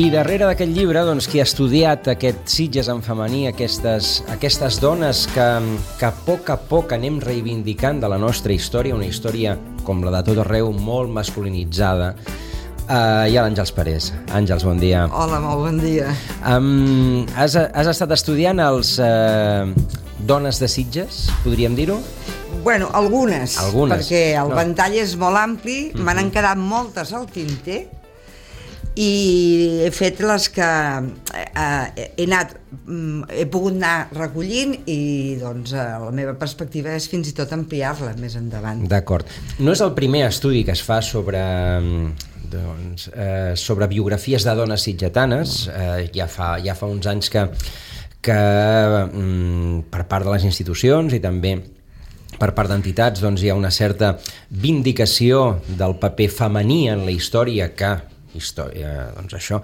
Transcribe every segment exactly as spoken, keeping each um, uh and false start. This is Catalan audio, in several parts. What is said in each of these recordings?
I darrere d'aquest llibre, doncs, qui ha estudiat aquest Sitges en femení, aquestes, aquestes dones que, que a poc a poc anem reivindicant de la nostra història, una història, com la de tot arreu, molt masculinitzada, uh, hi ha l'Àngels Parés. Àngels, bon dia. Hola, molt bon dia. Um, has, has estat estudiant els uh, Dones de Sitges, podríem dir-ho? Bueno, algunes, algunes. perquè el no. ventall és molt ampli, uh-huh. Me n'han quedat moltes al tinter, i he fet les que eh, he anat, he pogut anar recollint i doncs la meva perspectiva és fins i tot ampliar-la més endavant. D'acord. No és el primer estudi que es fa sobre, doncs, eh, sobre biografies de dones sitgetanes, eh, ja, fa, ja fa uns anys que, que mm, per part de les institucions i també per part d'entitats doncs, hi ha una certa vindicació del paper femení en la història que història, doncs això,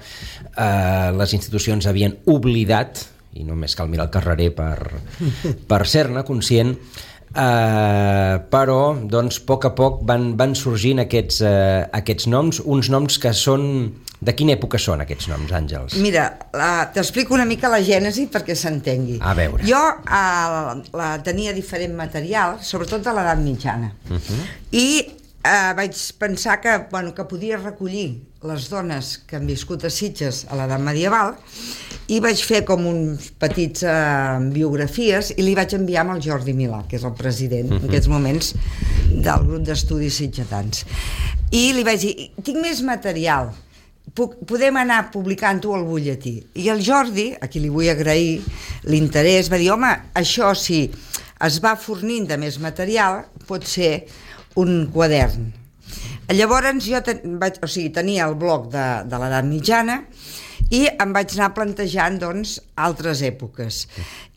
eh, les institucions havien oblidat, i només cal mirar el carrerer per, per ser-ne conscient, eh, però doncs, a poc a poc van, van sorgint aquests, eh, aquests noms, uns noms que són... De quina època són aquests noms, Àngels? Mira, t'explico una mica la gènesi perquè s'entengui. A veure. Jo eh, la tenia diferent material, sobretot de l'edat mitjana, uh-huh. i eh, vaig pensar que, bueno, que podia recollir les dones que han viscut a Sitges a l'edat medieval i vaig fer com uns petits eh, biografies i li vaig enviar amb el Jordi Milà, que és el president uh-huh. en aquests moments del grup d'estudis sitgetans. I li vaig dir, tinc més material, Puc, podem anar publicant-ho al butlletí. I el Jordi, a qui li vull agrair l'interès, va dir, home, això si es va fornint de més material pot ser un quadern. Llavors jo ten, vaig, o sigui, tenia el bloc de, de l'edat mitjana i em vaig anar plantejant doncs, altres èpoques.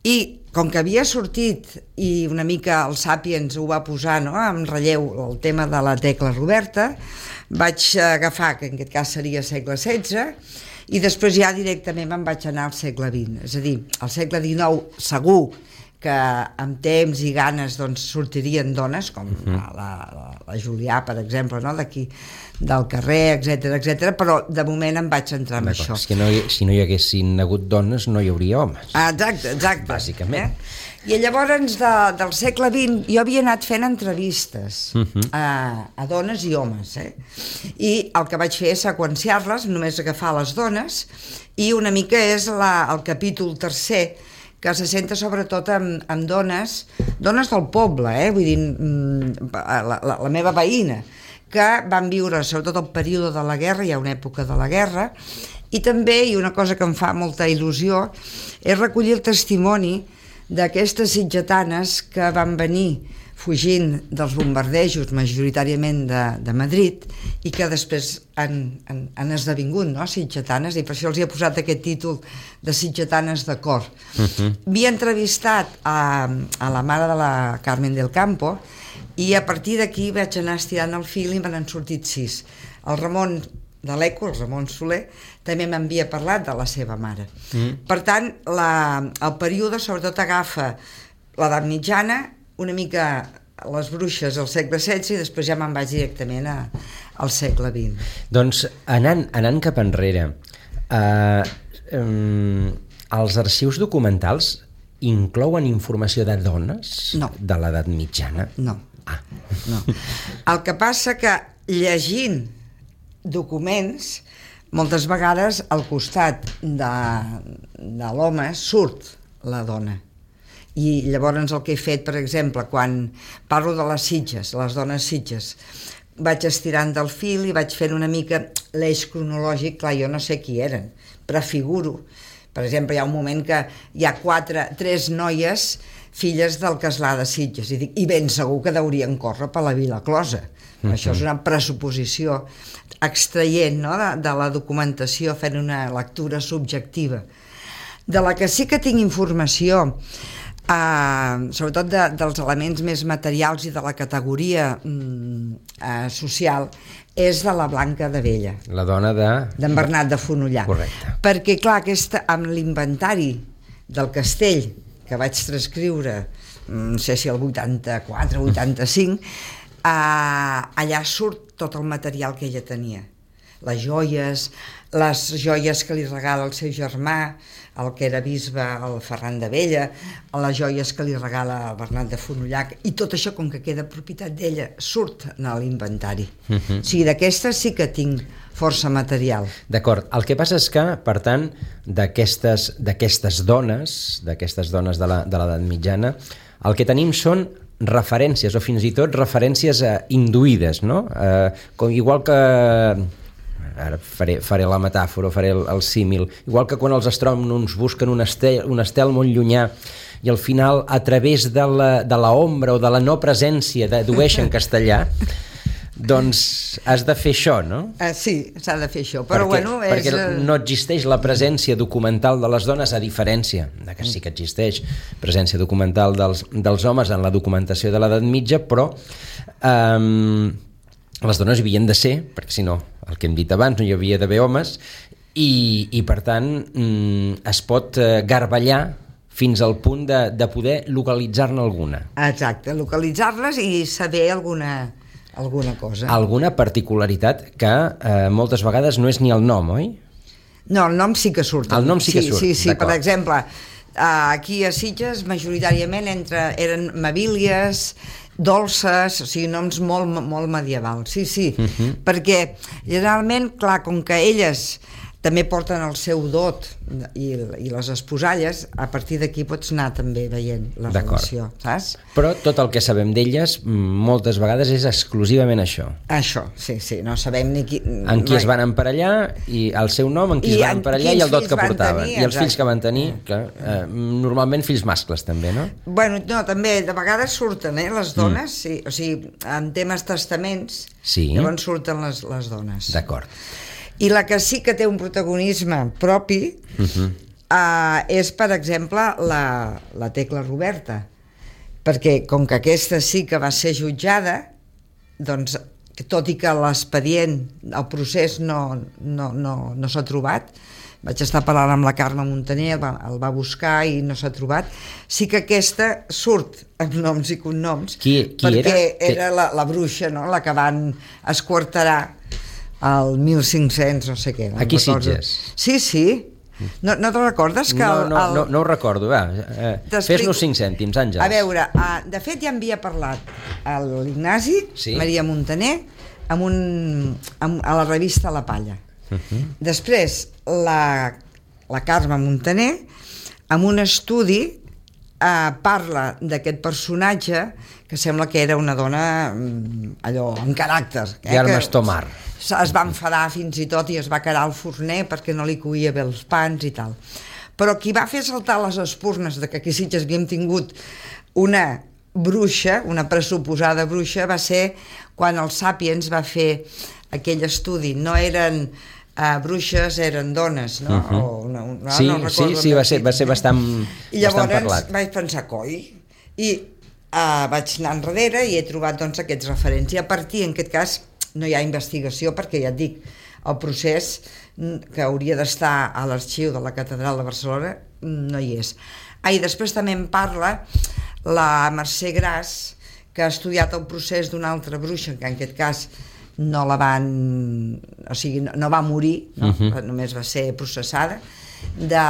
I com que havia sortit i una mica el Sàpiens ho va posar, no?, en relleu el tema de la Tecla Roberta, vaig agafar, que en aquest cas seria segle setze, i després ja directament me'n vaig anar al segle vint. És a dir, al segle dinou segur que amb temps i ganes doncs, sortirien dones, com uh-huh. la, la, la Julià, per exemple, no?, d'aquí del carrer, etcètera, etcètera, però de moment em vaig entrar en això. És que no hi, si no hi haguessin hagut dones no hi hauria homes. Ah, exacte, exacte. Bàsicament. Eh? I llavors de, del segle vint jo havia anat fent entrevistes uh-huh. a, a dones i homes, eh? I el que vaig fer és seqüenciar-les, només agafar les dones, i una mica és la, el capítol tercer, que se centra sobretot en, en dones, dones del poble, eh? Vull dir, la, la, la meva veïna, que van viure sobretot el període de la guerra, hi ha una època de la guerra, i també, i una cosa que em fa molta il·lusió, és recollir el testimoni d'aquestes sitgetanes que van venir fugint dels bombardejos majoritàriament de, de Madrid i que després han, han, han esdevingut, no?, sitgetanes, i per això els hi he posat aquest títol de sitgetanes de cor. Uh-huh. Havia entrevistat a, a la mare de la Carmen del Campo i a partir d'aquí vaig anar estirant el fil i me n'han sortit sis. El Ramon de l'Eco, el Ramon Soler, també m'havia parlat de la seva mare. Mm. Per tant, la, el període sobretot agafa l'edat mitjana, una mica les bruixes al segle setze i després ja me'n vaig directament a, al segle vint. Doncs anant, anant cap enrere, eh, um, els arxius documentals inclouen informació de dones no. de l'edat mitjana? No. Ah. no. El que passa que llegint documents, moltes vegades al costat de, de l'home surt la dona. I llavors el que he fet, per exemple, quan parlo de les Sitges, les dones Sitges, vaig estirant del fil i vaig fent una mica l'eix cronològic. Clar, jo no sé qui eren, prefiguro. Per exemple, hi ha un moment que hi ha quatre, tres noies filles del castlà de Sitges i dic, i ben segur que deurien córrer per la Vila Closa. Uh-huh. Això és una pressuposició extraient, no?, de, de la documentació, fent una lectura subjectiva. De la que sí que tinc informació, eh, sobretot de, dels elements més materials i de la categoria mm, eh, social, és de la Blanca de Vella. La dona de... d'en Bernat de Fonollar. Correcte. Perquè, clar, aquesta, amb l'inventari del castell, que vaig transcriure, no sé si el vuitanta-quatre, vuitanta-cinc, eh, allà surt tot el material que ella tenia. les joies, les joies que li regala el seu germà, el que era bisbe, el Ferran d'Abella, les joies que li regala el Bernat de Fonollac, i tot això, com que queda propietat d'ella, surt en l'inventari. Uh-huh. O sigui, d'aquestes sí que tinc força material. D'acord. El que passa és que, per tant, d'aquestes d'aquestes dones, d'aquestes dones de la, de l'edat mitjana, el que tenim són referències, o fins i tot referències eh, induïdes, no? Eh, com, igual que... ara faré, faré la metàfora, faré el, el símil, igual que quan els astrònoms busquen un estel, un estel molt llunyà i al final a través de la, de la ombra o de la no presència dedueixen castellà, doncs has de fer això, no? Uh, sí, s'ha de fer això, però perquè, bueno... És... Perquè no existeix la presència documental de les dones, a diferència de que sí que existeix presència documental dels, dels homes en la documentació de l'edat mitja, però eh, les dones hi havien de ser, perquè si no, el que hem dit abans, no hi havia d'haver homes, i, i per tant es pot garballar fins al punt de, de poder localitzar-ne alguna. Exacte, localitzar-les i saber alguna, alguna cosa. Alguna particularitat que eh, moltes vegades no és ni el nom, oi? No, el nom sí que surt. El nom sí que surt, sí, sí, sí. Per exemple, aquí a Sitges majoritàriament entre, eren mabílies, dolces, o sigui, noms molt, molt medievals, sí, sí, uh-huh. Perquè generalment, clar, com que elles també porten el seu dot i, i les esposalles, a partir d'aquí pots anar també veient la relació, saps? Però tot el que sabem d'elles moltes vegades és exclusivament això. Això, sí, sí, no sabem ni qui... En qui es van emparellar, i el seu nom, en qui I es van emparellar i el dot que portaven. Tenir, I els fills que van tenir, que, eh, normalment fills mascles també, no? Bueno, no, també de vegades surten, eh, les dones, mm. sí, o sigui, en temes testaments, sí. Llavors surten les, les dones. D'acord. I la que sí que té un protagonisme propi uh-huh. uh, és, per exemple, la, la Tecla Roberta, perquè com que aquesta sí que va ser jutjada, doncs, tot i que l'expedient, el procés no, no, no, no s'ha trobat, vaig estar parlant amb la Carme Montaner, el va, el va buscar i no s'ha trobat, sí que aquesta surt amb noms i cognoms, qui, qui perquè era, era la, la bruixa, no? La que van esquarterar el mil cinc-cents, no sé què. No Aquí Sitges? Sí, sí. No, no te recordes que... No, el, no, el... no, no ho recordo, va. Eh, fes-nos cinc cèntims, Àngels. A veure, uh, de fet ja havia parlat l'Ignasi, sí? Maria Montaner, amb un, amb, a la revista La Palla. Uh-huh. Després, la, la Carme Montaner, amb un estudi, uh, parla d'aquest personatge que sembla que era una dona allò, amb caràcter. Eh, Germes Tomar. Es va enfadar fins i tot i es va quedar al forner perquè no li coïa bé els pans i tal. Però qui va fer saltar les espurnes de que aquí a Sitges havíem tingut una bruixa, una pressuposada bruixa, va ser quan el Sàpiens va fer aquell estudi. No eren uh, bruixes, eren dones, no? Uh-huh. O no, no, sí, no sí, sí, va ser, va ser bastant, I llavors bastant parlat. Vaig pensar, coi, i uh, vaig anar enrere i he trobat doncs, aquests referents. I a partir, en aquest cas, no hi ha investigació perquè ja et dic, el procés que hauria d'estar a l'arxiu de la Catedral de Barcelona no hi és. Ah, i després també en parla la Mercè Gras, que ha estudiat el procés d'una altra bruixa, que en aquest cas no la van... o sigui, no va morir, no? Uh-huh. Només va ser processada, de...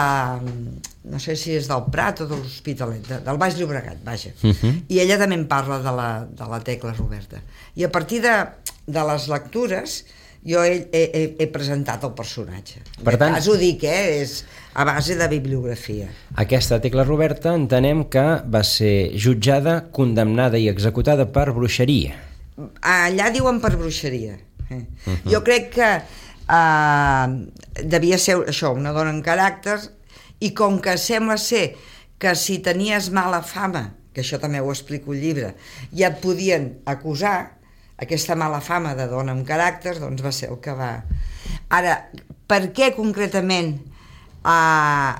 no sé si és del Prat o de l'Hospitalet, de, del Baix Llobregat, vaja. Uh-huh. I ella també en parla de la, de la Tecla Roberta. I a partir de, de les lectures jo he, he, he presentat el personatge. Per tant, cas ho dic, eh? És a base de bibliografia. Aquesta Tecla Roberta entenem que va ser jutjada, condemnada i executada per bruixeria. Allà diuen per bruixeria. Eh? Uh-huh. Jo crec que uh, devia ser això, una dona en caràcter, i com que sembla ser que si tenies mala fama, que això també ho explico al llibre, ja et podien acusar, aquesta mala fama de dona amb caràcter, doncs va ser el que va... Ara, per què concretament eh,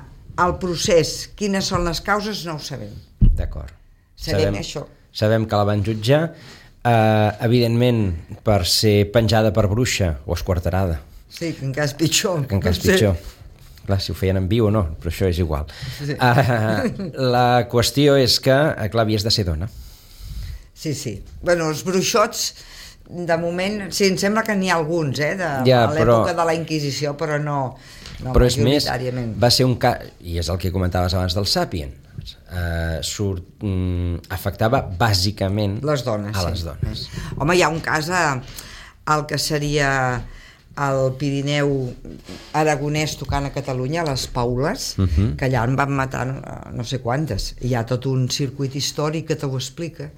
el procés, quines són les causes, no ho sabem. D'acord. Sabem, sabem això. Sabem que la van jutjar, eh, evidentment per ser penjada per bruixa o esquarterada. Sí, que encara és pitjor. Que encara és pitjor. Clar, si ho feien en viu o no, però això és igual. Sí. Uh, la qüestió és que, clar, havies de ser dona. Sí, sí. Bueno, els bruixots de moment, sí, em sembla que n'hi ha alguns, eh, de ja, l'època però... de la Inquisició, però no, no però és més, majoritàriament. va ser un cas, i és el que comentaves abans del Sàpien, uh, surt, um, afectava bàsicament les dones, a sí. les dones. Home, hi ha un cas al que seria el Pirineu aragonès tocant a Catalunya, a les Paules, uh -huh. que allà en van matar no sé quantes. Hi ha tot un circuit històric que t'ho explica,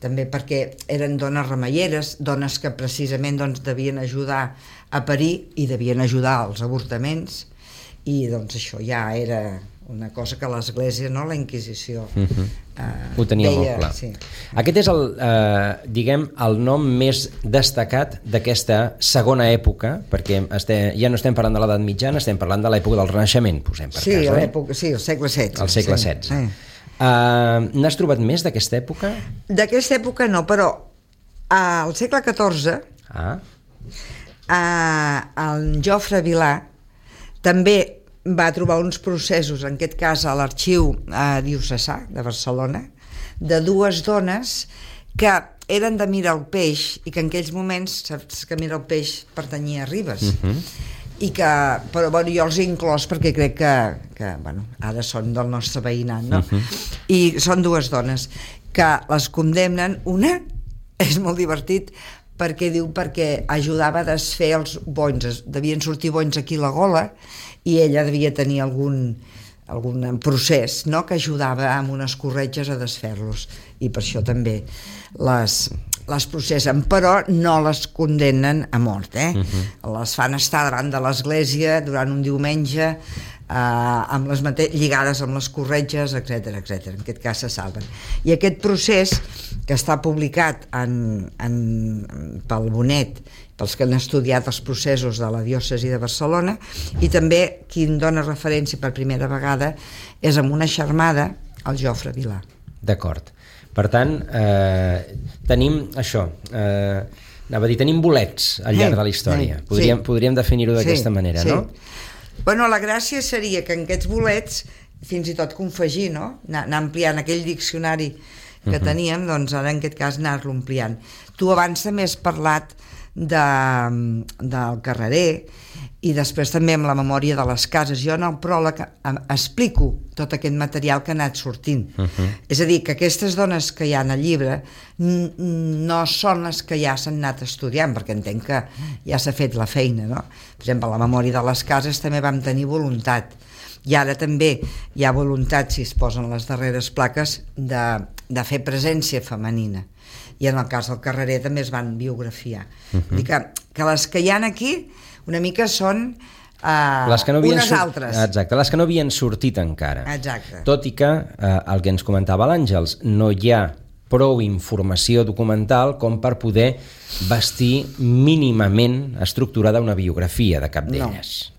també perquè eren dones remeieres, dones que precisament doncs, devien ajudar a parir i devien ajudar als avortaments, i doncs això ja era una cosa que l'Església, no, la Inquisició, uh -huh. eh, ho tenia deia, molt clar. Sí. Aquest és el, eh, diguem, el nom més destacat d'aquesta segona època, perquè estem, ja no estem parlant de l'edat mitjana, estem parlant de l'època del Renaixement, posem per sí, cas, eh? l'època, sí, el segle setze. El segle sí. setze. Sí. Uh, N'has trobat més d'aquesta època? D'aquesta època no, però al segle catorze Ah. eh, el Jofre Vilà també va trobar uns processos, en aquest cas a l'arxiu eh, diocesà de Barcelona, de dues dones que eren de Miralpeix i que en aquells moments, saps que Miralpeix pertanyia a Ribes, uh -huh. i que, però bueno, jo els he inclòs perquè crec que, que bueno, ara són del nostre veïnat, no? Uh-huh. I són dues dones que les condemnen. Una és molt divertit perquè diu perquè ajudava a desfer els bonys, devien sortir bonys aquí a la gola i ella devia tenir algun, algun procés, no?, que ajudava amb unes corretges a desfer-los, i per això també les... les processen, però no les condemnen a mort, eh? Uh-huh. Les fan estar davant de l'església durant un diumenge, eh, amb les mate- lligades amb les corretges, etcètera, etcètera. En aquest cas se salven. I aquest procés, que està publicat en, en, pel Bonet, pels que han estudiat els processos de la diòcesi de Barcelona, i també qui en dona referència per primera vegada és amb una xarmada, el Jofre Vilà. D'acord. Per tant, eh, tenim això, eh, anava a dir, tenim bolets al llarg de la història. Podríem, sí. podríem definir-ho d'aquesta sí, manera, sí. no? Bueno, la gràcia seria que en aquests bolets, fins i tot confegir, no?, anar, anar ampliant aquell diccionari que uh-huh. teníem, doncs ara en aquest cas anar-lo ampliant. Tu abans també has parlat de, del Carrerer, i després també amb la memòria de les cases. Jo en el pròleg explico tot aquest material que ha anat sortint. Uh-huh. És a dir, que aquestes dones que hi ha al llibre no són les que ja s'han anat estudiant, perquè entenc que ja s'ha fet la feina, no? Per exemple, la memòria de les cases també vam tenir voluntat, i ara també hi ha voluntat, si es posen les darreres plaques, de, de fer presència femenina, i en el cas del Carrerer també es van biografiar. Uh-huh. Vull dir que, que les que hi ha aquí una mica són uh, les que no unes sur... altres. Exacte, les que no havien sortit encara. Exacte. Tot i que, uh, el que ens comentava l'Àngels, no hi ha prou informació documental com per poder vestir mínimament estructurada una biografia de cap d'elles. No.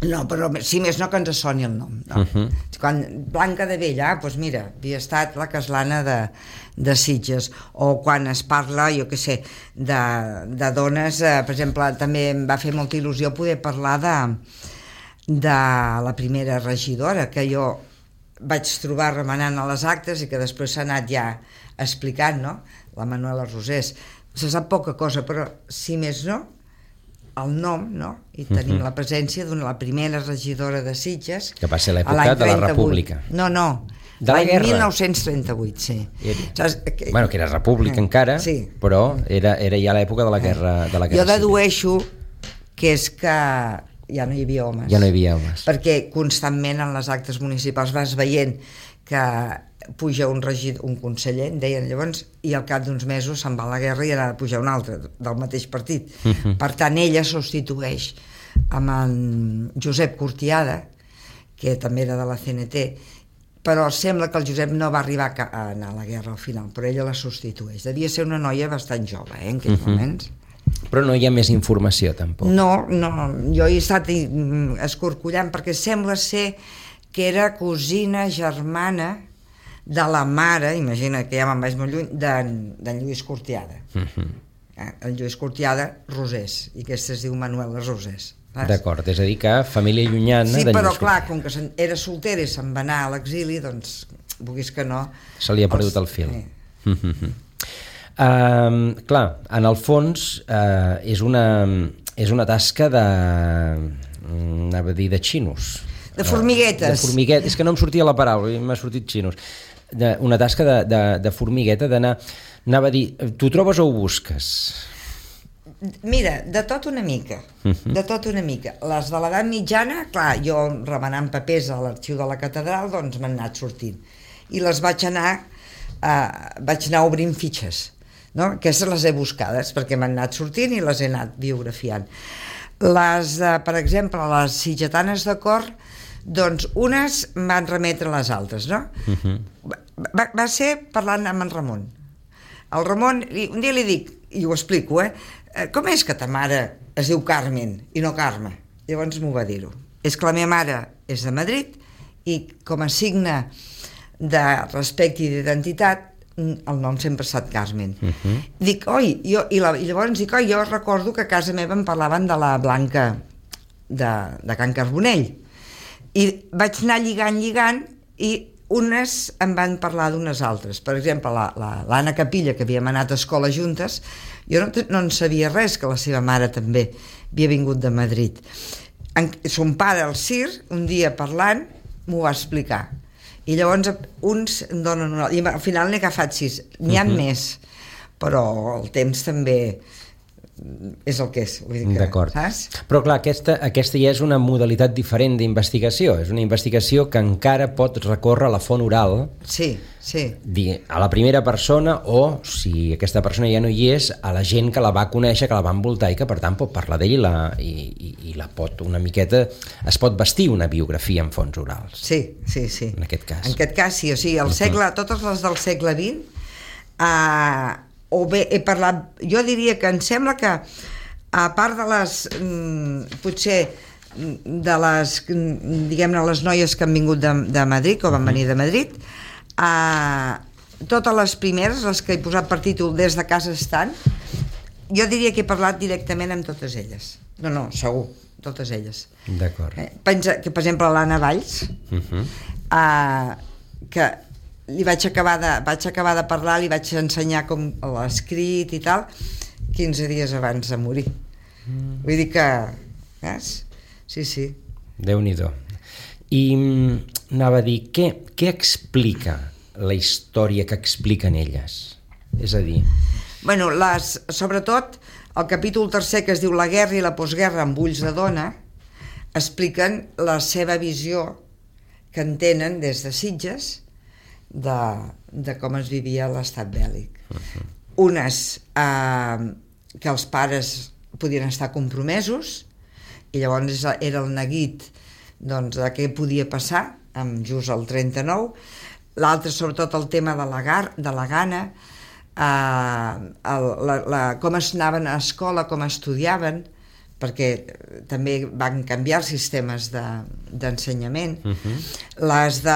No, però si més no que ens soni el nom, no? Uh-huh. Quan Blanca de Bell, ah, doncs mira, havia estat la caslana de, de Sitges, o quan es parla, jo què sé, de, de dones, eh, per exemple, també em va fer molta il·lusió poder parlar de, de la primera regidora, que jo vaig trobar remenant a les actes i que després s'ha anat ja explicant, no?, la Manuela Rosés. Se sap poca cosa, però si més no, el nom, no? I tenim uh-huh. la presència d'una la primera regidora de Sitges, que va ser l'època de la República. No, no, de la l'any guerra. mil nou-cents trenta-vuit, sí. Era, Saps? Que, bueno, que era república eh, encara, sí. però era, era ja l'època de la guerra, de la guerra jo dedueixo civil. Que és que ja no hi havia homes. Ja no hi havia homes. Perquè constantment en les actes municipals vas veient que puja un regidor, un conseller, en deien llavors, i al cap d'uns mesos se'n va a la guerra i ha de pujar un altre, del mateix partit. Uh-huh. Per tant, ella substitueix amb en Josep Cortiada, que també era de la C N T, però sembla que el Josep no va arribar a anar a la guerra al final, però ella la substitueix. Devia ser una noia bastant jove, eh, en aquells uh-huh. moments. Però no hi ha més informació, tampoc. No, no, jo he estat escorcollant, perquè sembla ser que era cosina germana de la mare, imagina que ja me'n vaig molt lluny, d'en Lluís Cortiada. Uh-huh. El Lluís Cortiada Rosés, i aquesta es diu Manuela Rosés. D'acord, és a dir que família llunyana sí, de Lluís però Cortiada. clar, com que era soltera i se'n va anar a l'exili, doncs, vulguis que no... Se li ha perdut els... el fil. Eh. Uh-huh. Uh, clar, en el fons uh, és, una, és una tasca de... anava a dir de xinos. De formiguetes. Uh, de formiguetes. És que no em sortia la paraula, m'ha sortit xinos. De, una tasca de, de, de formigueta, d'anar... Anava a dir, tu trobes o ho busques? Mira, de tot una mica, uh-huh. de tot una mica. Les de l'edat mitjana, clar, jo remenant papers a l'arxiu de la catedral, doncs m'han anat sortint. I les vaig anar, eh, vaig anar obrint fitxes, no? Aquestes les he buscades perquè m'han anat sortint i les he anat biografiant. Les, eh, per exemple, les sitgetanes de cor, doncs unes van remetre a les altres, no? Uh-huh. Va, va ser parlant amb en Ramon. El Ramon, un dia li dic, i ho explico, eh? Com és que ta mare es diu Carmen i no Carme? Llavors m'ho va dir-ho. És que la meva mare és de Madrid i com a signe de respecte i d'identitat el nom sempre ha estat Carmen. Uh-huh. Dic, oi, jo, i, la, i llavors dic, oi, jo recordo que a casa meva em parlaven de la Blanca de, de Can Carbonell. I vaig anar lligant, lligant, i unes em van parlar d'unes altres. Per exemple, la, la, l'Anna Capilla, que havíem anat a escola juntes, jo no, no en sabia res, que la seva mare també havia vingut de Madrid. En, son pare, el Sir, un dia parlant, m'ho va explicar. I llavors uns em donen una... I al final n'he agafat sis. N'hi ha uh-huh. més, però el temps també és el que és. Vull dir que, d'acord. Saps? Però clar, aquesta, aquesta ja és una modalitat diferent d'investigació. És una investigació que encara pot recórrer a la font oral. Sí, sí. A la primera persona o, si aquesta persona ja no hi és, a la gent que la va conèixer, que la va envoltar i que per tant pot parlar d'ell i, la, i, i, i la pot una miqueta... Es pot vestir una biografia en fonts orals. Sí, sí, sí. En aquest cas. En aquest cas sí, o sigui, el segle, totes les del segle vint... Eh, o bé he parlat, jo diria que em sembla que a part de les potser de les diguem-ne les noies que han vingut de, de Madrid, que van venir de Madrid, a, totes les primeres, les que he posat per títol Des de casa estan, jo diria que he parlat directament amb totes elles. No, no, segur, totes elles. D'acord. Eh, pensa que, per exemple, l'Anna Valls, uh-huh. eh, que li vaig acabar, de, vaig acabar de parlar, li vaig ensenyar com l'ha escrit i tal, quinze dies abans de morir. Mm. Vull dir que... Saps? Sí, sí. Déu-n'hi-do. I anava a dir, què, què explica la història que expliquen elles? És a dir... Bueno, les, sobretot, el capítol tercer, que es diu La guerra i la postguerra amb ulls de dona, expliquen la seva visió que en tenen des de Sitges, De, de com es vivia l'estat bèl·lic. Uh-huh. Unes eh, que els pares podien estar compromesos i llavors era el neguit doncs, de què podia passar amb just el trenta-nou. L'altre, sobretot, el tema de la, gar, de la gana, eh, el, la, la, com es anaven a escola, com estudiaven, perquè també van canviar els sistemes de, d'ensenyament. Uh-huh. Les de...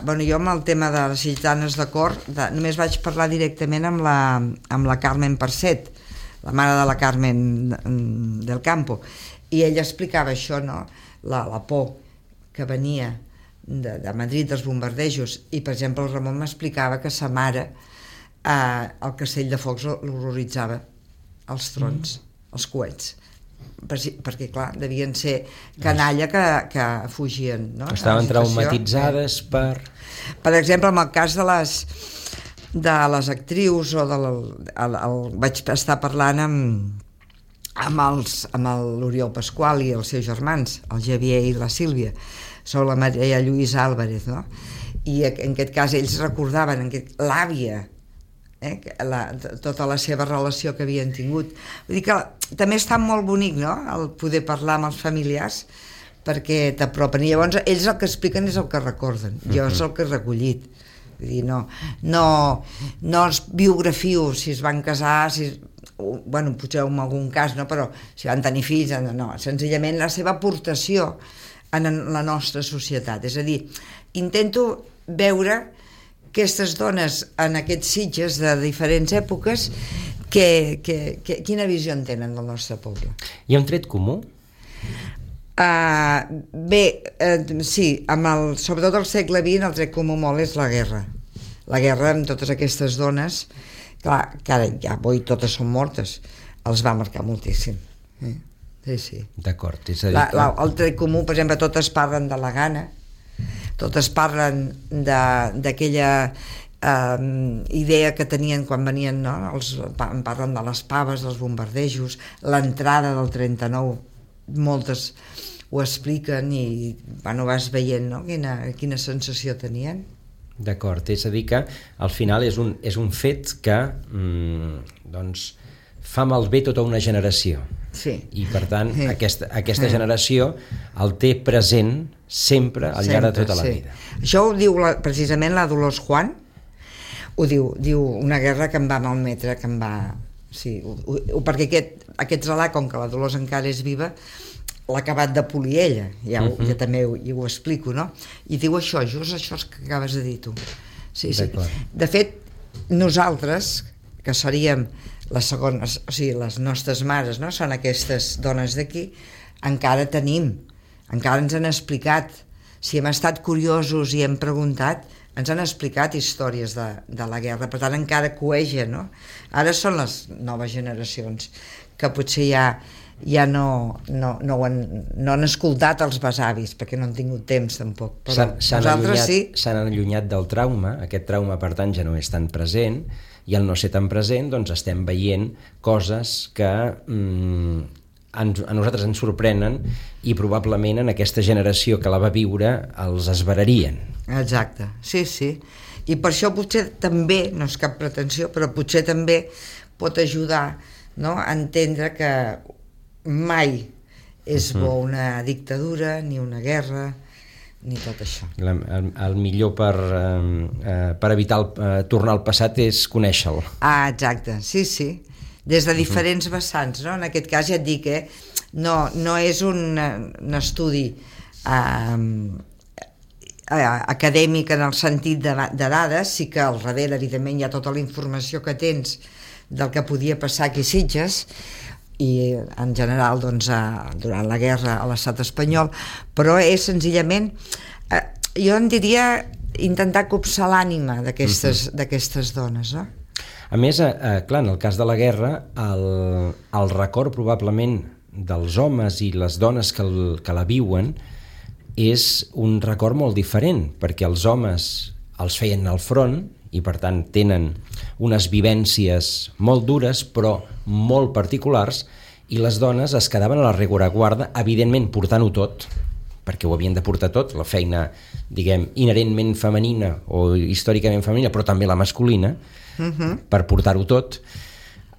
Bueno, jo amb el tema de les sitgetanes de cor de, només vaig parlar directament amb la, amb la Carmen Percet, la mare de la Carmen del Campo, i ella explicava això, no? La, la por que venia de, de Madrid dels bombardejos, i per exemple el Ramon m'explicava que sa mare eh, el castell de focs l'horroritzava, els trons, mm. els coets, perquè clar, devien ser canalla que, que fugien, no? Estaven traumatitzades per... Per exemple, en el cas de les de les actrius o de la, el, el, vaig estar parlant amb amb els, amb l'Oriol Pasqual i els seus germans, el Javier i la Sílvia, sobre la Maria Lluïsa Álvarez, no? I en aquest cas ells recordaven l'àvia, eh, la, tota la seva relació que havien tingut. Vull dir que també està molt bonic, no?, el poder parlar amb els familiars, perquè t'apropen, i llavors ells el que expliquen és el que recorden, jo uh-huh. és el que he recollit. Vull dir, no, no, no els biografio si es van casar, si, bueno, potser en algun cas, no, però si van tenir fills, no, no, senzillament la seva aportació en la nostra societat. És a dir, intento veure aquestes dones en aquests Sitges de diferents èpoques, que, que, que, quina visió en tenen del nostre poble. Hi ha un tret comú? Uh, bé, uh, sí, amb el, sobretot al segle vint el tret comú molt és la guerra. La guerra amb totes aquestes dones clar, que ara ja avui totes són mortes, els va marcar moltíssim. Eh? Sí, sí. D'acord. És a dir, la, la, el tret comú, per exemple, totes parlen de la gana, totes parlen d'aquella eh, idea que tenien quan venien, no? Els, parlen de les paves, dels bombardejos, l'entrada del trenta-nou, moltes ho expliquen i bueno, vas veient, no? quina, quina sensació tenien. D'acord, és a dir que al final és un, és un fet que mm, doncs, fa malbé tota una generació. Sí. I per tant sí. aquesta, aquesta generació el té present sempre al llarg de tota la sí. vida. Això ho diu la, precisament la Dolors Juan, ho diu, diu una guerra que em va malmetre, que em va... Sí, ho, ho, perquè aquest, aquest relat, com que la Dolors encara és viva, l'ha acabat de polir ella, ja, ho, uh-huh. ja també ho, ja ho explico, no? I diu això, just això que acabes de dir tu. Sí, sí. De fet, nosaltres, que seríem les segones, o sigui, les nostres mares, no? Són aquestes dones d'aquí, encara tenim, encara ens han explicat, si hem estat curiosos i hem preguntat, ens han explicat històries de, de la guerra, per tant encara coeja, no? Ara són les noves generacions que potser ja, ja no, no, no, han, no han escoltat els besavis, perquè no han tingut temps tampoc, però nosaltres sí. S'han allunyat del trauma, aquest trauma per tant ja no és tan present, i al no ser tan present doncs estem veient coses que mm, ens, a nosaltres ens sorprenen i probablement en aquesta generació que la va viure els esverarien. Exacte, sí, sí. I per això potser també, no és cap pretensió, però potser també pot ajudar, no?, a entendre que mai és bo una dictadura, ni una guerra, ni tot això. La, el, el millor per, eh, per evitar el, eh, tornar al passat és conèixer-lo. Ah, exacte, sí, sí. Des de diferents vessants, no? En aquest cas ja et dic, eh? No, no és un, un estudi eh, acadèmic en el sentit de, de dades, sí que al darrere, evidentment, hi ha tota la informació que tens del que podia passar aquí a Sitges, i en general doncs, a, durant la guerra a l'estat espanyol, però és senzillament eh, jo en diria intentar copsar l'ànima d'aquestes uh-huh. d'aquestes dones, no? A més, eh, clar, en el cas de la guerra el, el record probablement dels homes i les dones que, el, que la viuen és un record molt diferent, perquè els homes els feien al front i per tant tenen unes vivències molt dures però molt particulars, i les dones es quedaven a la rereguarda, evidentment portant-ho tot, perquè ho havien de portar tot, la feina, diguem, inherentment femenina o històricament femenina, però també la masculina, uh-huh. per portar-ho tot,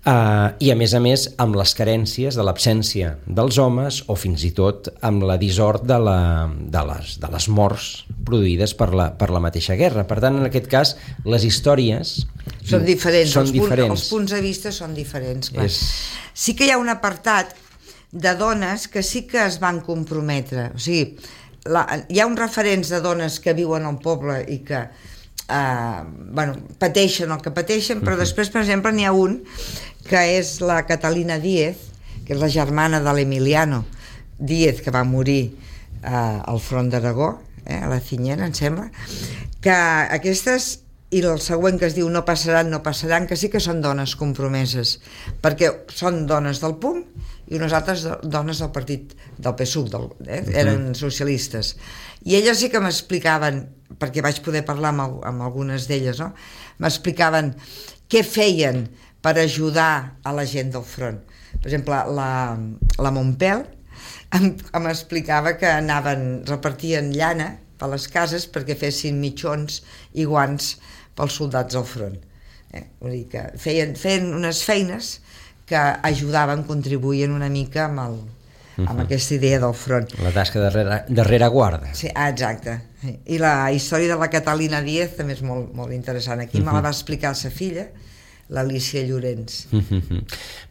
uh, i a més a més amb les carències de l'absència dels homes o fins i tot amb la dissort de, la, de, les, de les morts produïdes per la, per la mateixa guerra. Per tant, en aquest cas, les històries són diferents, són els, diferents. Punts, els punts de vista són diferents, clar. És... Sí que hi ha un apartat de dones que sí que es van comprometre, o sigui, la, hi ha uns referents de dones que viuen al poble i que eh, bueno, pateixen el que pateixen, però uh-huh. després, per exemple, n'hi ha un que és la Catalina Díez, que és la germana de l'Emiliano Díez, que va morir eh, al front d'Aragó, eh, a la Cinyera, em sembla, que aquestes, i el següent que es diu no passaran, no passaran, que sí que són dones compromeses, perquè són dones del P U M i unes altres dones del partit del P S U C, del, eh? eren socialistes. I elles sí que m'explicaven, perquè vaig poder parlar amb, amb algunes d'elles, no? M'explicaven què feien per ajudar a la gent del front. Per exemple, la, la Montpel em, em explicava que anaven, repartien llana per les cases perquè fessin mitjons i guants pels soldats al front. Eh? Vull dir que feien, feien unes feines que ajudaven, contribuïen una mica amb, el, amb uh-huh. aquesta idea del front. La tasca darrere, darrere guarda. Sí, ah, exacte. I la història de la Catalina Díez també és molt, molt interessant. Aquí uh-huh. me la va explicar sa filla, l'Alicia Llorenç. Uh-huh.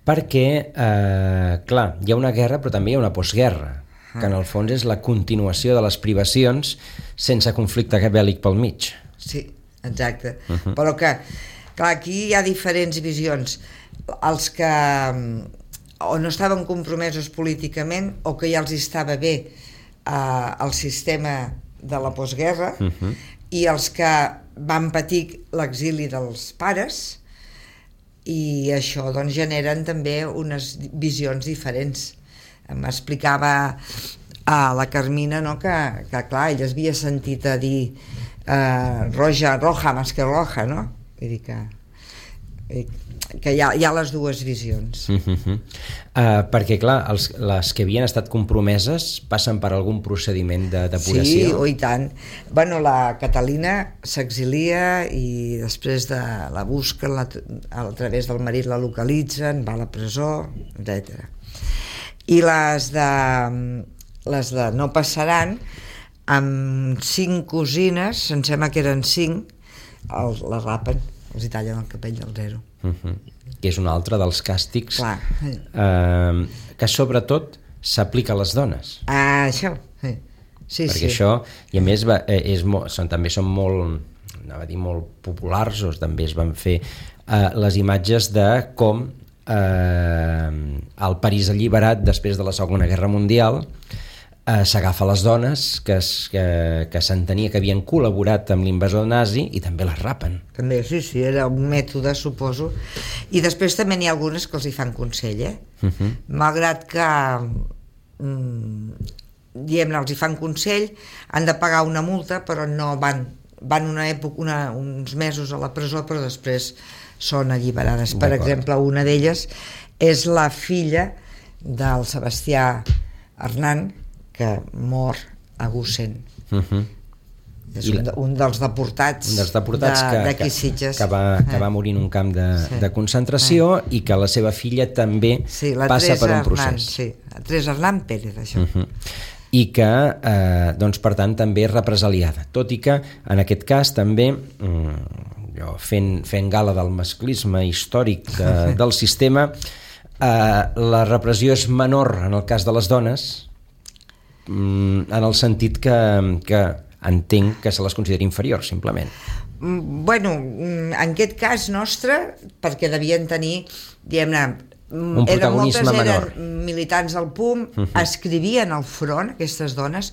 Perquè, eh, clar, hi ha una guerra però també hi ha una postguerra, uh-huh. que en el fons és la continuació de les privacions sense conflicte bèl·lic pel mig. Sí, exacte. Uh-huh. Però que, clar, aquí hi ha diferents visions. Els que o no estaven compromesos políticament o que ja els estava bé eh, el sistema de la postguerra, uh-huh. i els que van patir l'exili dels pares i això doncs generen també unes visions diferents. M'explicava a la Carmina, no, que, que clar, ella havia sentit a dir eh, roja, roja més que roja, no? Vull dir que, que hi ha, hi ha les dues visions. Uh-huh. Uh, perquè clar, els, les que havien estat compromeses passen per algun procediment de depuració? Sí, oh, i tant. Bueno, la Catalina s'exilia i després de la busquen, la, a través del marit la localitzen, va a la presó, etcètera. I les de, les de no passaran, amb cinc cosines, em sembla que eren cinc, els, les rapen, els hi tallen el capell del zero. Uh-huh. Que és un altre dels càstigs eh, que sobretot s'aplica a les dones. Ah, això, sí. Sí, perquè sí. això, i a més va, és molt, són, també són molt, anava a dir molt populars, o també es van fer eh, les imatges de com eh, el París alliberat després de la Segona Guerra Mundial eh, s'agafa les dones que, es, que, que s'entenia que havien col·laborat amb l'invasor nazi i també les rapen. També, sí, sí, era un mètode, suposo. I després també n'hi ha algunes que els hi fan consell, eh? Uh-huh. Malgrat que mm, diguem-ne, els hi fan consell, han de pagar una multa, però no van, van una època, una, uns mesos a la presó, però després són alliberades. Per exemple, una d'elles és la filla del Sebastià Hernán, que mor a Gusen. Uh-huh. És un, un dels deportats, un dels deportats de, que, d'aquí Sitges. Que, que, va, que va morir en un camp de, sí. de concentració eh. i que la seva filla també sí, passa Teresa per un Hernán, procés. sí, la Teresa Hernán Pérez, això. Uh-huh. I que, eh, doncs, per tant, també és represaliada. Tot i que, en aquest cas, també, mm, jo fent, fent gala del masclisme històric de, del sistema, eh, la repressió és menor en el cas de les dones, mm, en el sentit que, que entenc que se les considera inferiors, simplement. Bueno, en aquest cas nostre, perquè devien tenir, diguem-ne, un protagonisme eren, menor. Eren militants del P U M, uh-huh. escrivien al front aquestes dones,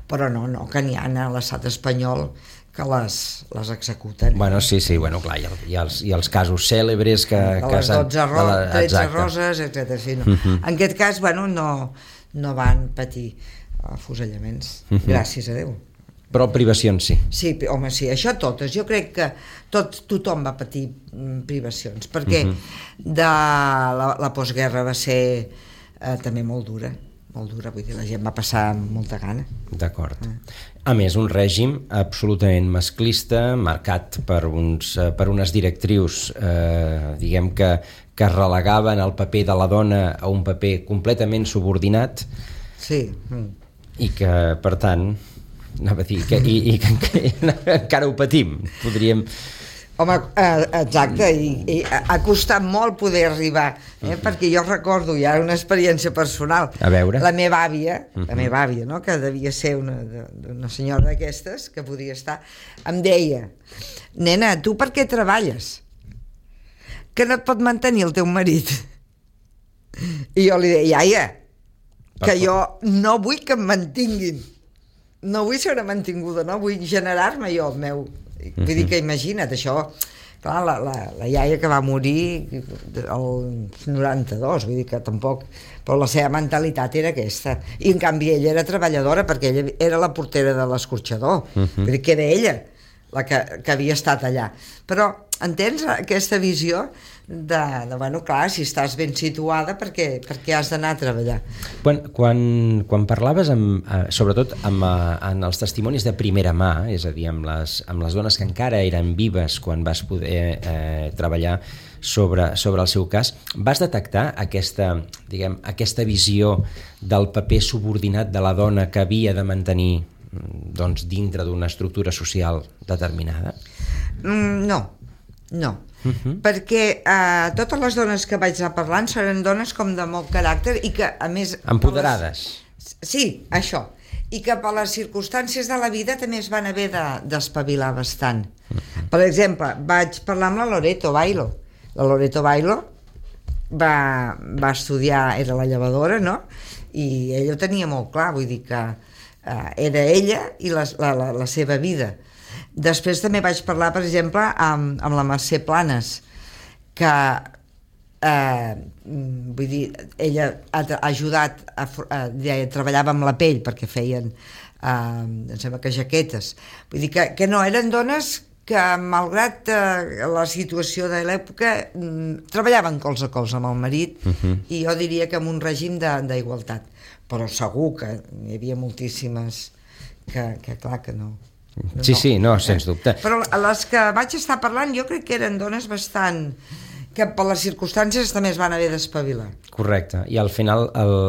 però no, no, que n'hi ha a l'estat espanyol que les, les executen. Bueno, sí, sí, bueno, clar, hi ha, hi ha, els, hi ha els casos cèlebres que... De que les dotze ro- la, tretze roses, etcètera. Sí, no. uh-huh. En aquest cas, bueno, no, no van patir afusellaments, uh-huh. gràcies a Déu. Però privacions sí. Sí, home, sí, això totes. Jo crec que tot, tothom va patir privacions, perquè uh-huh. de la, la postguerra va ser eh, també molt dura, molt dura, vull dir, la gent va passar molta gana. D'acord. Uh. A més, un règim absolutament masclista, marcat per, uns, per unes directrius, eh, diguem que, que relegaven el paper de la dona a un paper completament subordinat. Sí. Mm. I que, per tant... anava a dir, que, i, i que, que encara ho patim, podríem... Home, eh, exacte, i, i ha costat molt poder arribar, eh? Uh-huh. Perquè jo recordo, ja una experiència personal, a veure. La meva àvia, uh-huh. la meva àvia, no? Que devia ser una, una senyora d'aquestes, que podia estar, em deia, nena, tu per què treballes? Que no et pot mantenir el teu marit? I jo li deia, iaia, que jo no vull que em mantinguin, no vull ser una mantinguda, no vull generar-me jo el meu. Vull dir que imagina't, això, clar, la, la, la iaia que va morir el noranta-dos, vull dir que tampoc, però la seva mentalitat era aquesta, i en canvi ella era treballadora perquè ella era la portera de l'escorxador, uh-huh. vull dir que era ella la que, que havia estat allà, però entens aquesta visió de, de bueno, clar, si estàs ben situada perquè, perquè has d'anar a treballar. Quan, quan, quan parlaves amb, eh, sobretot amb, eh, en els testimonis de primera mà, és a dir, amb les, amb les dones que encara eren vives quan vas poder eh, treballar sobre, sobre el seu cas, vas detectar aquesta, diguem, aquesta visió del paper subordinat de la dona que havia de mantenir, doncs, dintre d'una estructura social determinada? Mm, no, no. Uh-huh. Perquè eh, totes les dones que vaig anar parlant seran dones com de molt caràcter i que a més... Empoderades. Les... Sí, això. I que per les circumstàncies de la vida també es van haver de, d'espavilar bastant. Uh-huh. Per exemple, vaig parlar amb la Loreto Bailo. La Loreto Bailo va, va estudiar, era la llevadora, no? I ella ho tenia molt clar, vull dir que eh, era ella i la, la, la, la seva vida. Després també vaig parlar, per exemple, amb, amb la Mercè Planes, que eh, vull dir, ella ha, ha ajudat a, a, a, treballava amb la pell perquè feien eh, em sembla que jaquetes, vull dir que, que no, eren dones que malgrat eh, la situació de l'època mm, treballaven cols a cols amb el marit uh-huh. i jo diria que amb un règim d'igualtat, però segur que hi havia moltíssimes que, que clar que no. Sí, no, sí, no, eh? Sens dubte. Però les que vaig estar parlant jo crec que eren dones bastant que per les circumstàncies també es van haver d'espavilar. Correcte, i al final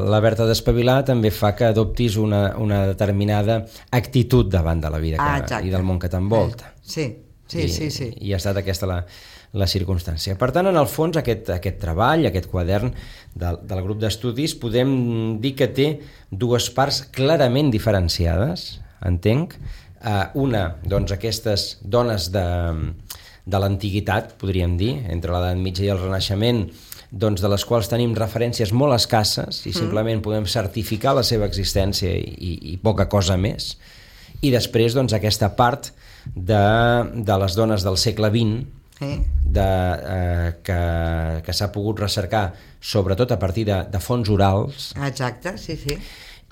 l'haver-te d'espavilar també fa que adoptis una, una determinada actitud davant de la vida que, ah, i del món que t'envolta. Sí, sí, I, sí, sí. I ha estat aquesta la, la circumstància. Per tant, en el fons, aquest, aquest treball, aquest quadern del, del grup d'estudis, podem dir que té dues parts clarament diferenciades, entenc. Uh, una, doncs, aquestes dones de... de l'antiguitat, podríem dir, entre l'edat mitja i el Renaixement, doncs de les quals tenim referències molt escasses i simplement podem certificar la seva existència i, i poca cosa més. I després, doncs, aquesta part de, de les dones del segle vint de, eh, que, que s'ha pogut recercar sobretot a partir de, de fonts orals. Exacte, sí, sí.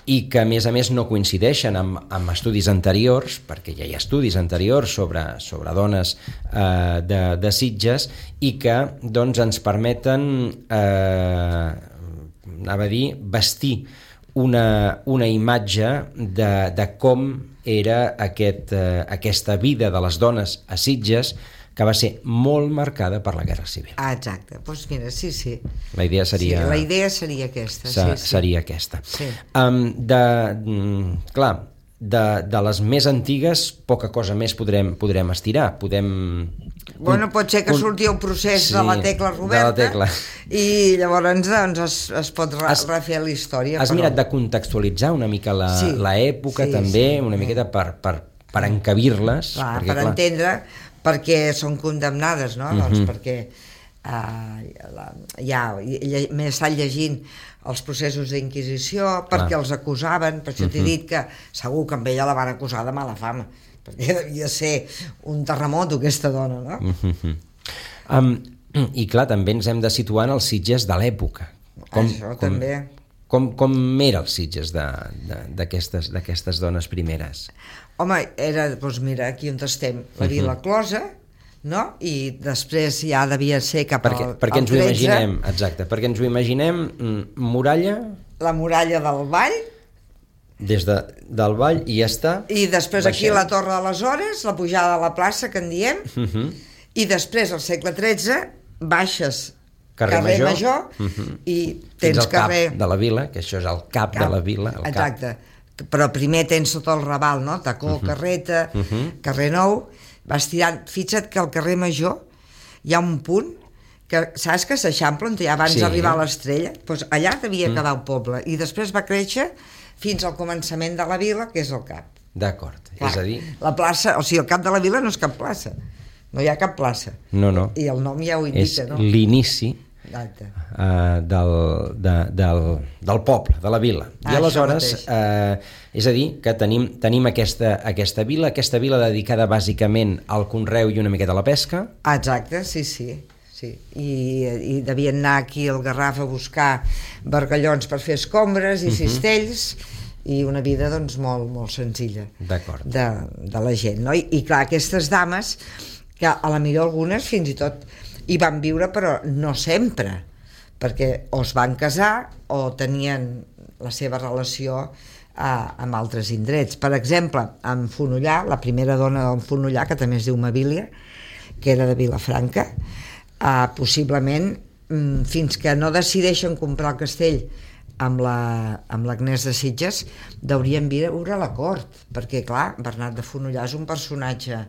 I que a més a més no coincideixen amb, amb estudis anteriors, perquè ja hi ha estudis anteriors sobre, sobre dones eh, de, de Sitges i que doncs, ens permeten eh, anava a dir, vestir una, una imatge de, de com era aquest, eh, aquesta vida de les dones a Sitges, que va ser molt marcada per la Guerra Civil. Ah, exacte. Doncs pues mira, sí, sí. La idea seria... Sí, la idea seria aquesta. Se, sí, sí. Seria aquesta. Sí. Um, de, clar, de, de les més antigues, poca cosa més podrem, podrem estirar. Podem... Bueno, pot ser que surti el procés sí, de la Tecla Roberta la tecla. I llavors doncs, es, es pot re, has, refer la història. Has però... mirat de contextualitzar una mica l'època sí, sí, també, sí. una miqueta per, per, per encabir-les. Clar, perquè, per clar, entendre... perquè són condemnades, no? Uh-huh. Doncs perquè uh, la, ja m'he estat llegint els processos d'inquisició, perquè ah. els acusaven, per això uh-huh. t'he dit que segur que amb ella la van acusar de mala fama, perquè devia ser un terremoto aquesta dona, no? Uh-huh. Um, I clar, també ens hem de situar en els Sitges de l'època. Com, això com, també. Com, com era els Sitges d'aquestes d'aquestes dones primeres? Home, era, doncs mira, aquí on estem, la Vila Closa, no? I després ja devia ser cap perquè, al, perquè al ens ho imaginem, exacte, perquè ens ho imaginem muralla... La muralla del Vall. Des de, del Vall i ja està. I després baixem. Aquí la Torre de les Hores, la pujada a la plaça, que en diem, uh-huh. i després, al segle tretze, baixes carrer, carrer Major, Major uh-huh. i tens carrer... cap de la vila, que això és el cap, cap de la vila. El exacte. Cap. Però primer tens sota el Raval, no? Tacó, uh-huh. Carreta, uh-huh. Carrer Nou, vas tirant, fixa't que al carrer Major hi ha un punt que saps que s'eixampla on abans sí. d'arribar a l'Estrella, doncs allà devia uh-huh. quedar el poble, i després va créixer fins al començament de la vila, que és el cap. D'acord, és a dir... La plaça, o sigui, el cap de la vila no és cap plaça, no hi ha cap plaça. No, no. I el nom ja ho indica, és no? És l'inici Uh, del, de, del, del poble, de la vila. I ah, aleshores, uh, és a dir, que tenim, tenim aquesta, aquesta vila, aquesta vila dedicada bàsicament al conreu i una miqueta a la pesca. Ah, exacte, sí, sí. sí. I, I devien anar aquí al Garraf a buscar bargallons per fer escombres i uh-huh. cistells, i una vida doncs molt, molt senzilla de, de la gent, no? I, i clar, aquestes dames, que a la millor algunes fins i tot hi van viure, però no sempre, perquè o es van casar o tenien la seva relació eh, amb altres indrets. Per exemple, en Fonollar, la primera dona d'en Fonollar, que també es diu Mabília, que era de Vilafranca, eh, possiblement mm, fins que no decideixen comprar el castell amb l'Agnès la, de Sitges, deurien viure a la cort, perquè clar, Bernat de Fonollar és un personatge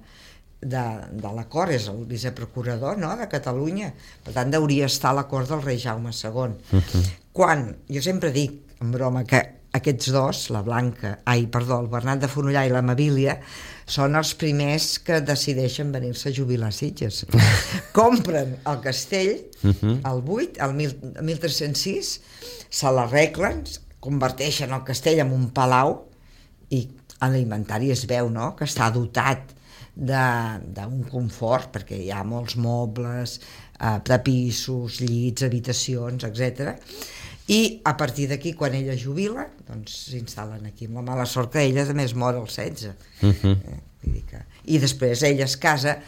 de, de la cort, és el viceprocurador, no?, de Catalunya, per tant deuria estar a la cort del rei Jaume segon. Uh-huh. Quan, jo sempre dic, en broma, que aquests dos, la Blanca, ai, perdó, el Bernat de Fonollar i la Mabília, són els primers que decideixen venir-se a jubilar a Sitges. Compren el castell, uh-huh. el vuit, el mil tres-cents sis, se l'arreglen, converteixen el castell en un palau, i en l'inventari es veu, no?, que està dotat d'un confort, perquè hi ha molts mobles, eh, tapissos, llits, habitacions, etcètera. I a partir d'aquí, quan ella jubila, doncs s'instal·len aquí, amb la mala sort que ella també es mor als setze. Uh-huh. eh, vull dir que... I després ella es casa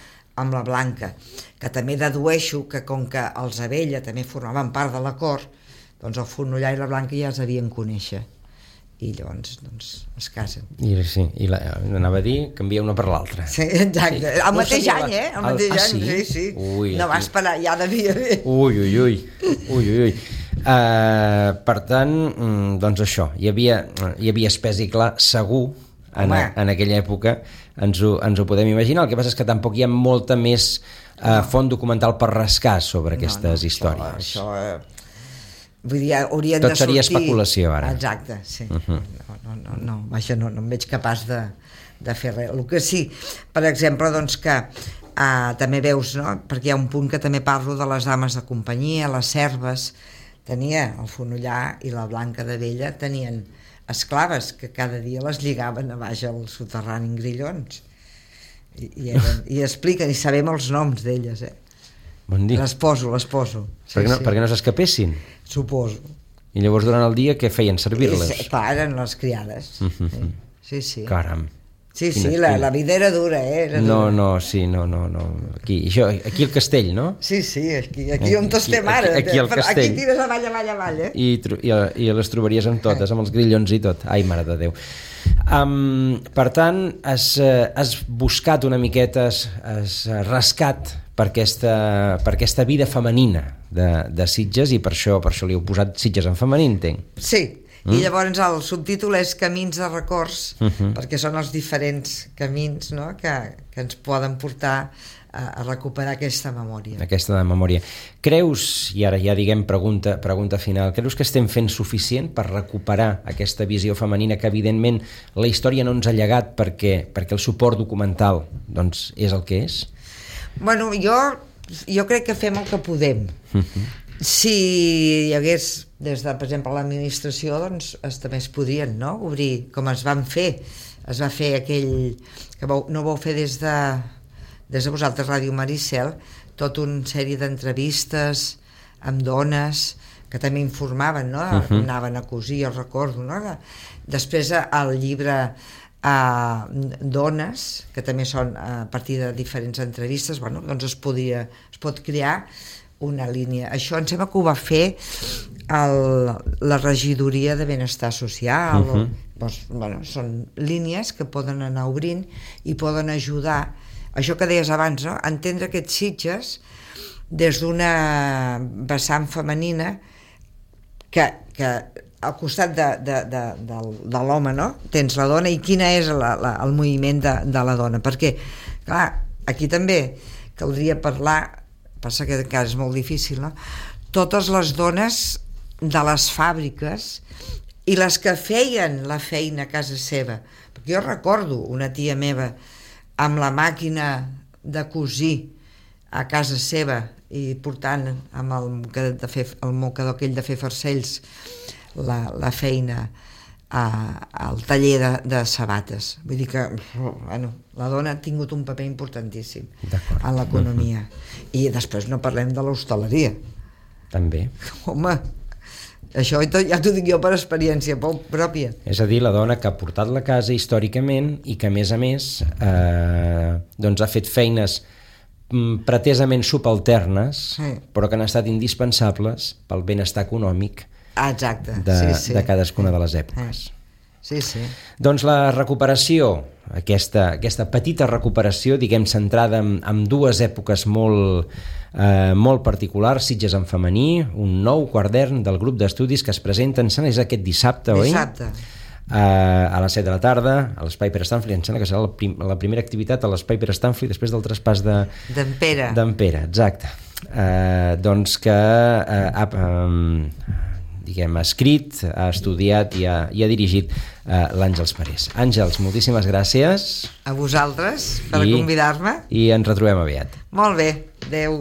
amb la Blanca, que també dedueixo que com que els Abella també formaven part de la cort, doncs el Fonollar i la Blanca ja es devien conèixer i llavors doncs, es casen. I, sí, i la, anava a dir, canvia una per l'altra. Sí, exacte. Sí. El mateix no any, eh? El mateix el... ah, any, sí, sí. sí. Ui, no va esperar, ja devia haver. Ui, ui, ui. ui, ui, ui. Uh, per tant, doncs això, hi havia, hi havia espès i clar, segur, en, a, en aquella època, ens ho, ens ho podem imaginar. El que passa és que tampoc hi ha molta més uh, font documental per rascar sobre aquestes no, no, històries. Això, això eh, vull dir, haurien tot de sortir... seria especulació, ara. Exacte, sí. Uh-huh. no, no, no, no, vaja, no, no em veig capaç de, de fer res. El que sí, per exemple, doncs que uh, també veus, no?, perquè hi ha un punt que també parlo de les dames de companyia, les serves, tenia el Fonollar i la Blanca de Vella tenien esclaves que cada dia les lligaven a baix al soterrani en grillons i, i, eren, i expliquen i sabem els noms d'elles, eh? Bon dia. Les poso, les poso sí, perquè, no, sí. perquè no s'escapessin? Suposo. I llavors durant el dia què feien, servir-les? Sí, clar, eren les criades. Uh-huh. Sí, sí. Caram. Sí, sí, la, la vida era dura, eh? Era no, dura. no, sí, no, no, no. Aquí, això, aquí al castell, no? Sí, sí, aquí, aquí on estem ara. Aquí, aquí al castell. Aquí tires avall, avall, avall, eh? I, i, i les trobaries amb totes, amb els grillons i tot. Ai, mare de Déu. Um, per tant, has, has buscat una miqueta, has, has rascat per aquesta, per aquesta vida femenina de, de Sitges i per això, per això li heu posat Sitges en femení, entenc. Sí. I llavors el subtítol és Camins de records, uh-huh. perquè són els diferents camins, no?, que, que ens poden portar a, a recuperar aquesta memòria. Aquesta de memòria. Creus, i ara ja diguem pregunta, pregunta final, creus que estem fent suficient per recuperar aquesta visió femenina que evidentment la història no ens ha llegat perquè, perquè el suport documental doncs, és el que és? Bueno, jo, jo crec que fem el que podem. Uh-huh. Si hi hagués, des de, per exemple, l'administració, doncs es, també es podrien, no?, obrir, com es van fer. Es va fer aquell, que vau, no vau fer des de, des de vosaltres, Ràdio Maricel, tota una sèrie d'entrevistes amb dones que també informaven, no?, uh-huh. anaven a cosir, jo recordo, no?, després el llibre a dones, que també són a partir de diferents entrevistes, bueno, doncs es podria, es pot crear una línia. Això em sembla que ho va fer el, la regidoria de benestar social. Uh-huh. o, doncs, bueno, són línies que poden anar obrint i poden ajudar, això que deies abans, no?, a entendre aquests Sitges des d'una vessant femenina que, que al costat de, de, de, de, de l'home, no?, tens la dona, i quina és la, la, el moviment de, de la dona, perquè clar, aquí també caldria parlar, passa que encara és molt difícil, no?, totes les dones de les fàbriques i les que feien la feina a casa seva, perquè jo recordo una tia meva amb la màquina de cosir a casa seva i portant amb el mocador, de fer, el mocador aquell de fer farcells la, la feina a, al taller de, de sabates. Vull dir que bueno, la dona ha tingut un paper importantíssim en l'economia. Uh-huh. I després no parlem de l'hostaleria. També. Home, això ja t'ho dic jo per experiència pròpia. És a dir, la dona que ha portat la casa històricament i que a més a més eh, doncs ha fet feines pretesament subalternes, sí, però que han estat indispensables pel benestar econòmic Exacte, de, sí, sí. de cadascuna de les èpoques. Sí, sí. Doncs la recuperació, aquesta, aquesta petita recuperació, diguem, centrada en, en dues èpoques molt, eh, molt particulars, Sitges en femení, un nou quadern del grup d'estudis que es presenta, em sembla, és aquest dissabte, oi? Dissabte. Uh, a les set de la tarda, a l'Espai Pere Stanfli, em sembla que serà la, prim, la primera activitat a l'Espai Pere Stanfli després del traspàs de... D'en Pere. D'en Pere, exacte. Uh, doncs que uh, ha... Um, diguem, ha escrit, ha estudiat i ha, i ha dirigit uh, l'Àngels Parés. Àngels, moltíssimes gràcies. A vosaltres per I, convidar-me. I ens retrobem aviat. Molt bé, adeu.